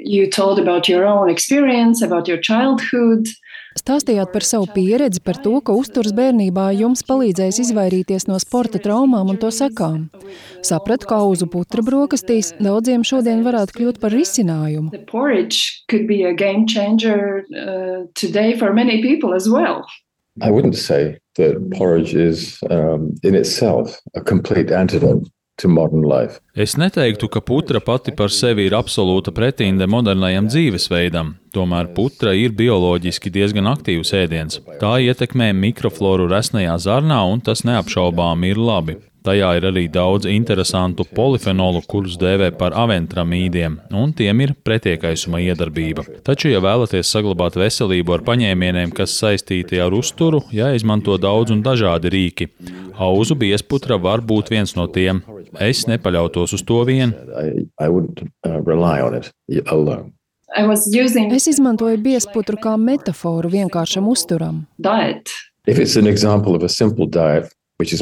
You told about your own experience, about your childhood. Stāstījāt par savu pieredzi, par to, ka uzturs bērnībā jums palīdzējis izvairīties no sporta traumām un to sekām. Sapratu, ka auzu putra brokastīs daudziem šodien varētu kļūt par risinājumu. The porridge could be a game changer today for many people as well. I wouldn't say that porridge is in itself a complete antidote to modern life. Es neteiktu, ka putra pati par sevi ir absolūta pretinde modernajam dzīvesveidam. Tomēr putra ir bioloģiski diezgan aktīvs ēdiens. Tā ietekmē mikrofloru resnajā zarnā, un tas neapšaubām ir labi. Tajā ir arī daudz interesantu polifenolu, kurus dēvē par aventramīdiem, un tiem ir pretiekaisuma iedarbība. Taču, ja vēlaties saglabāt veselību ar paņēmieniem, kas saistīti ar uzturu, jāizmanto daudz un dažādi rīki. Auzu biezputra var būt viens no tiem. Es nepaļautos uz to vien. I wouldn't rely on it alone. Es izmantoju biezputru kā metaforu vienkāršam uzturam. Diet. If it's an example of a simple diet, which is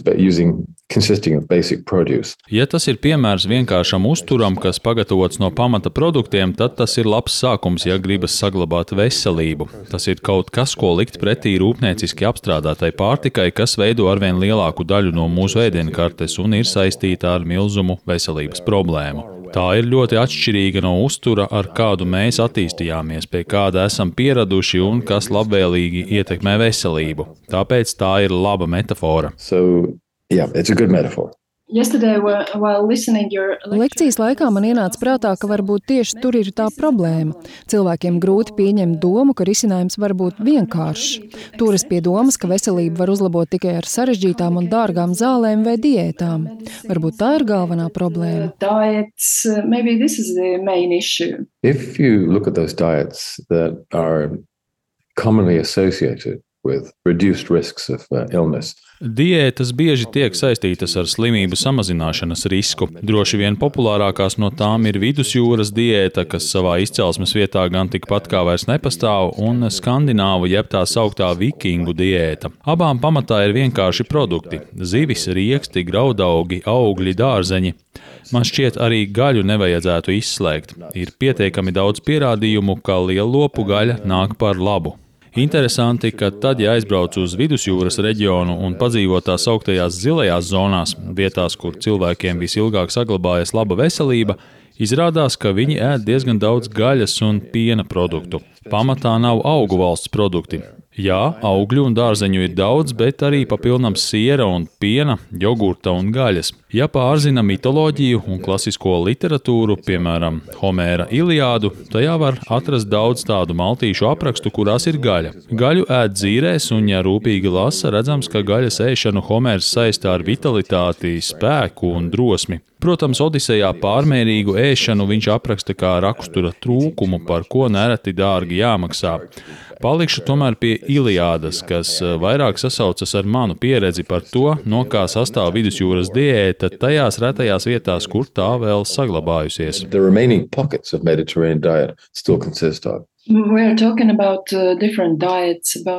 consisting of basic produce. Ja tas ir piemērs vienkāršam uzturam, kas pagatavots no pamata produktiem, tad tas ir labs sākums, ja gribas saglabāt veselību. Tas ir kaut kas, ko likt pretī rūpnieciski apstrādātai pārtikai, kas veido arvien lielāku daļu no mūsu ēdienkartes un ir saistīta ar milzumu veselības problēmu. Tā ir ļoti atšķirīga no uztura, ar kādu mēs attīstījāmies, pie kāda esam pieraduši un kas labvēlīgi ietekmē veselību. Tāpēc tā ir laba metafora. Yeah, it's a good metaphor. Lekcijas laikā man ienāca prātā, ka varbūt tieši tur ir tā problēma. Cilvēkiem grūti pieņemt domu, ka risinājums var būt vienkāršs. Turas pie domas, ka veselību var uzlabot tikai ar sarežģītām un dārgām zālēm vai diētām. Varbūt tā ir galvenā problēma. If you look at those diets that are commonly associated with reduced risks of illness. Diētas bieži tiek saistītas ar slimību samazināšanas risku. Droši vien populārākās no tām ir vidusjūras diēta, kas savā izcelsmes vietā gan tikpat kā vairs nepastāv, un skandināvu jeb tā sauktā vikingu diēta. Abām pamatā ir vienkārši produkti – zivis, rieksti, graudaugi, augļi, dārzeņi. Man šķiet, arī gaļu nevajadzētu izslēgt. Ir pietiekami daudz pierādījumu, ka lielopu gaļa nāk par labu. Interesanti, ka tad, ja aizbrauc uz vidusjūras reģionu un padzīvo tā sauktajās zilajās zonās, vietās, kur cilvēkiem visilgāk saglabājas laba veselība, izrādās, ka viņi ēd diezgan daudz gaļas un piena produktu. Pamatā nav augu valsts produkti. Jā, augļu un dārzeņu ir daudz, bet arī papilnam siera un piena, jogurta un gaļas. Ja pārzina mitoloģiju un klasisko literatūru, piemēram, Homēra Iliādu, tajā var atrast daudz tādu maltīšu aprakstu, kurās ir gaļa. Gaļu ēd dzīrēs, un ja rūpīgi lasa, redzams, ka gaļas ēšanu Homērs saistā ar vitalitāti, spēku un drosmi. Protams, Odisejā pārmērīgu ēšanu viņš apraksta kā rakstura trūkumu, par ko nereti dārgi jāmaksā. Palikšu tomēr pie Iliādas, kas vairāk sasaucas ar manu pieredzi par to, no kā sastāv vidusjūras diēta tajās retajās vietās, kur tā vēl saglabājusies. The remaining pockets of Mediterranean diet still consist of.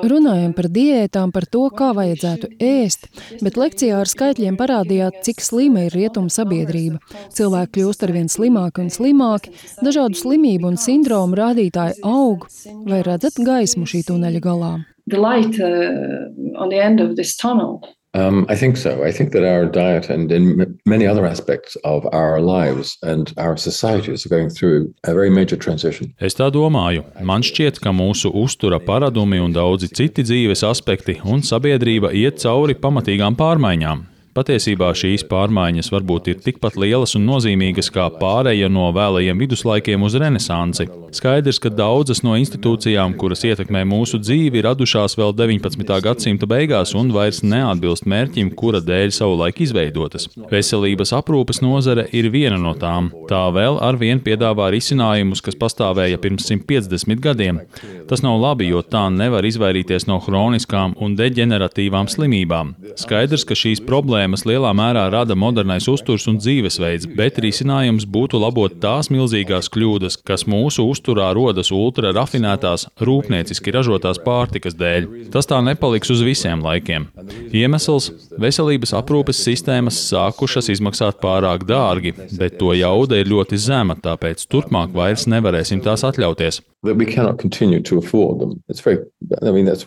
Runājam par diētām, par to, kā vajadzētu ēst, bet lekcijā ar skaitļiem parādījāt, cik slima ir rietumu sabiedrība. Cilvēki kļūst arvien slimāki un slimāki, dažādu slimību un sindromu rādītāji aug. Vai redzat gaismu šī tuneļa galā? The light on the end of this tunnel. I think so. I think that our diet and in many other aspects of our lives and our societies are going through a very major transition. Es tā domāju. Man šķiet, ka mūsu uztura paradumi un daudzi citi dzīves aspekti un sabiedrība iet cauri pamatīgām pārmaiņām. Patiesībā šīs pārmaiņas varbūt ir tikpat lielas un nozīmīgas kā pāreja no vēlajiem viduslaikiem uz renesansi. Skaidrs, ka daudzas no institūcijām, kuras ietekmē mūsu dzīvi, radušās vēl 19. gadsimta beigās un vairs neatbilst mērķim, kura dēļ savulaik izveidotas. Veselības aprūpes nozare ir viena no tām. Tā vēl arvien piedāvā risinājumus, kas pastāvēja pirms 150 gadiem. Tas nav labi, jo tā nevar izvairīties no hroniskām un deģeneratīvām slimībām. Skaidrs, ka šīs problēmas problēmas lielā mērā rada modernais uzturs un dzīvesveids, bet risinājums būtu labot tās milzīgās kļūdas, kas mūsu uzturā rodas ultra rafinētās, rūpnieciski ražotās pārtikas dēļ. Tas tā nepaliks uz visiem laikiem. Iemesls – veselības aprūpes sistēmas sākušas izmaksāt pārāk dārgi, bet to jauda ir ļoti zema, tāpēc turpmāk vairs nevarēsim tās atļauties. That we cannot continue to afford them. That's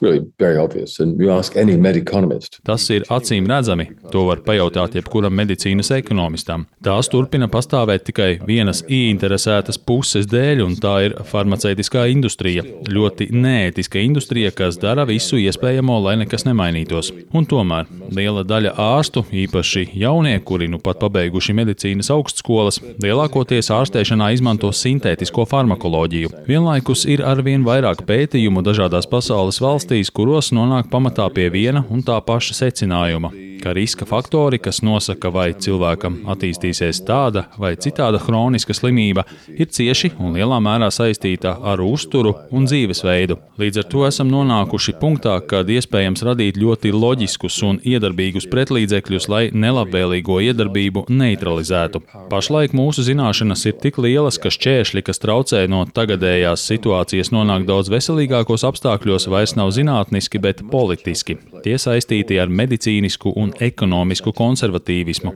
really very obvious. And you ask any med economist. Tas ir acīm redzami. To var pajautāt jebkuram medicīnas ekonomistam. Tās turpina pastāvēt tikai vienas ieinteresētas puses dēļ, un tā ir farmaceitiskā industrija. Ļoti neētiska industrija, kas dara visu iespējamo, lai nekas nemainītos. Un tomēr liela daļa ārstu, īpaši jaunie, kuri nu pat pabeiguši medicīnas augstskolas, lielākoties ārstēšanā izmanto sintētisko farmakoloģiju. Vienlaikus ir arvien vairāk pētījumu dažādās pasaules valstīs, kuros nonāk pamatā pie viena un tā paša secinājuma, ka riska faktori, kas nosaka, vai cilvēkam attīstīsies tāda vai citāda hroniska slimība, ir cieši un lielā mērā saistīta ar uzturu un dzīvesveidu. Līdz ar to esam nonākuši punktā, kad iespējams radīt ļoti loģiskus un iedarbīgus pretlīdzekļus, lai nelabvēlīgo iedarbību neutralizētu. Pašlaik mūsu zināšanas ir tik lielas, ka šķēršļi, kas traucē no tagadējās situācijas nonākt daudz veselīgākos apstākļos, vairs nav zinātniski, bet politiski. Tie saistīti ar medicīnisku un ekonomisku konservatīvismu.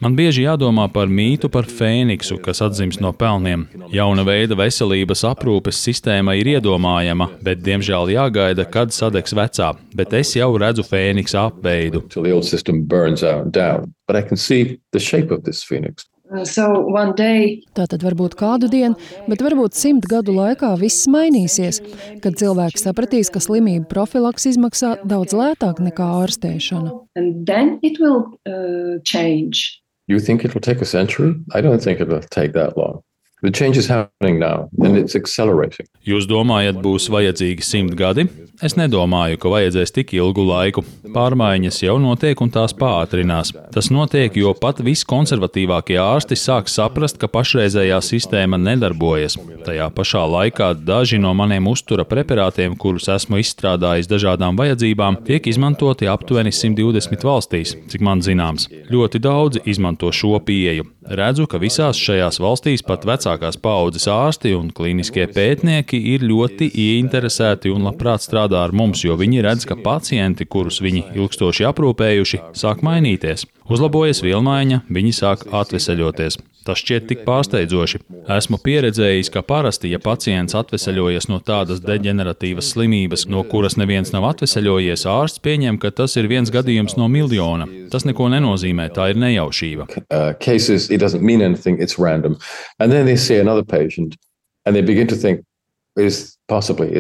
Man bieži jādomā par mītu par fēniksu, kas atzimst no pelniem. Jauna veida veselības aprūpes sistēma ir iedomājama, bet diemžēl jāgaida, kad sadegs vecā. Bet es jau redzu fēniksa apveidu. Tātad varbūt kādu dienu, bet varbūt 100 gadu laikā viss mainīsies, kad cilvēki sapratīs, ka slimību profilaks izmaksā daudz lētāk nekā ārstēšana. You think it will take a century? I don't think it will take that long. The change is happening now, and it's accelerating. Jūs domājat, būs vajadzīgi 100 gadi? Es nedomāju, ka vajadzēs tik ilgu laiku. Pārmaiņas jau notiek un tās pātrinās. Tas notiek, jo pat viskonservatīvākie ārsti sāk saprast, ka pašreizējā sistēma nedarbojas. Tajā pašā laikā daži no maniem uztura preparātiem, kurus esmu izstrādājis dažādām vajadzībām, tiek izmantoti aptuveni 120 valstīs, cik man zināms. Ļoti daudzi izmanto šo pieeju. Redzu, ka visās šajās valstīs pat vecākās paaudzes ārsti un klīniskie pētnieki ir ļoti ieinteresēti un labprāt strādā ar mums, jo viņi redz, ka pacienti, kurus viņi ilgstoši aprūpējuši, sāk mainīties. Uzlabojas vielmaiņa, viņi sāk atveseļoties. Tas šķiet tik pārsteidzoši. Esmu pieredzējis, ka parasti, ja pacients atveseļojas no tādas deģeneratīvas slimības, no kuras neviens nav atveseļojies, ārsts pieņem, ka tas ir viens gadījums no miljona. Tas neko nenozīmē, tā ir nejaušība. Cases, it doesn't mean anything, it's random. And then they see another patient and they begin to think, is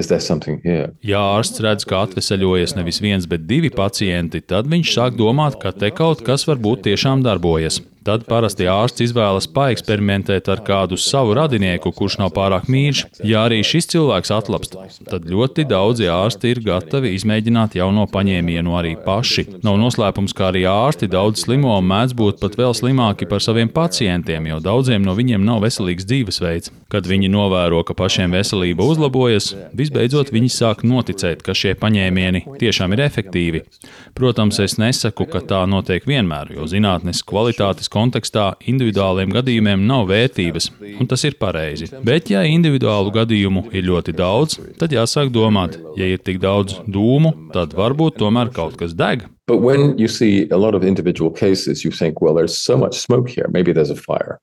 there something here? Ja ārsts redz, ka atveseļojas nevis viens, bet 2 pacienti, tad viņš sāk domāt, ka te kaut kas varbūt tiešām darbojas. Tad parasti ārsts izvēlas paeksperimentēt ar kādu savu radinieku, kurš nav pārāk mīļš. Ja arī šis cilvēks atlapst, tad ļoti daudzi ārsti ir gatavi izmēģināt jauno paņēmienu arī paši. Nav noslēpums, ka arī ārsti daudz slimo un mēdz būt pat vēl slimāki par saviem pacientiem, jo daudziem no viņiem nav veselīgs dzīvesveids. Kad viņi novēro, ka pašiem veselība uzlabojas, visbeidzot viņi sāk noticēt, ka šie paņēmieni tiešām ir efektīvi. Protams, es nesaku, ka tā notiek vienmēr, jo zinātnes kvalitātes kontekstā individuāliem gadījumiem nav vērtības, un tas ir pareizi. Bet, ja individuālu gadījumu ir ļoti daudz, tad jāsāk domāt, ja ir tik daudz dūmu, tad varbūt tomēr kaut kas deg. But when you see a lot of individual cases, you think, well, there's so much smoke here, maybe there's a fire.